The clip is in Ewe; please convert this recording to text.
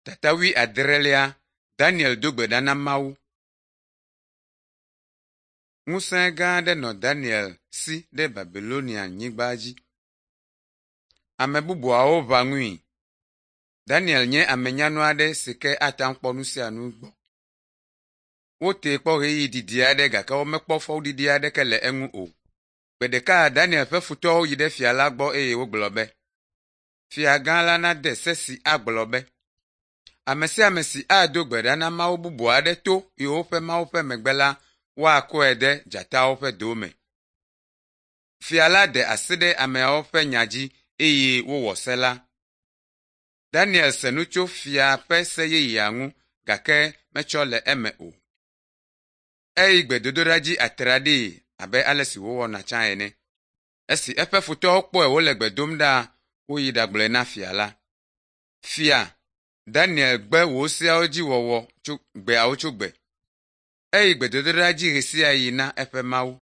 Tata wuiadrelia Daniel do gbe ɖa na Mawu. Ŋusẽ gã aɖe nɔ Daniel si ɖe Babilonia-nyigba dzi. Ame bubuawo ʋã ŋui. Daniel nye ame nyanu aɖe si ke ate ŋu akpɔ nu sia nu gbɔ. Wotee kpɔ ɣeyiɣi didi aɖe gake womekpɔ fɔɖiɖi aɖeke le eŋu o. Gbe ɖeka Daniel ƒe futɔwo yi ɖe fia la gbɔ eye wogblɔ be, Fia gã la nade se si agblɔ be, ame sia ame si ado gbe ɖa na mawu bubu aɖe to yewoƒe Mawu ƒe megbe la, woakɔe de dzatawo ƒe do me. Fia la de asi ɖe ameawo ƒe nya dzi eye wowɔ se la. Daniel se nu tso fia ƒe se yeyea ŋu gake metsɔ le eme o. Eyi gbedodoɖa dzi atraɖii abe ale si wòwɔna tsã ene. Esi eƒe futɔwo kpɔe wòle gbe dom ɖaa, woyi ɖagblɔe na fia la. Fia, Daniel gbe wò seawo dzi wɔwɔ tso gbeawo tso gbe. Eyi gbedodoɖa dzi ɣe sia ɣi na eƒe Mawu.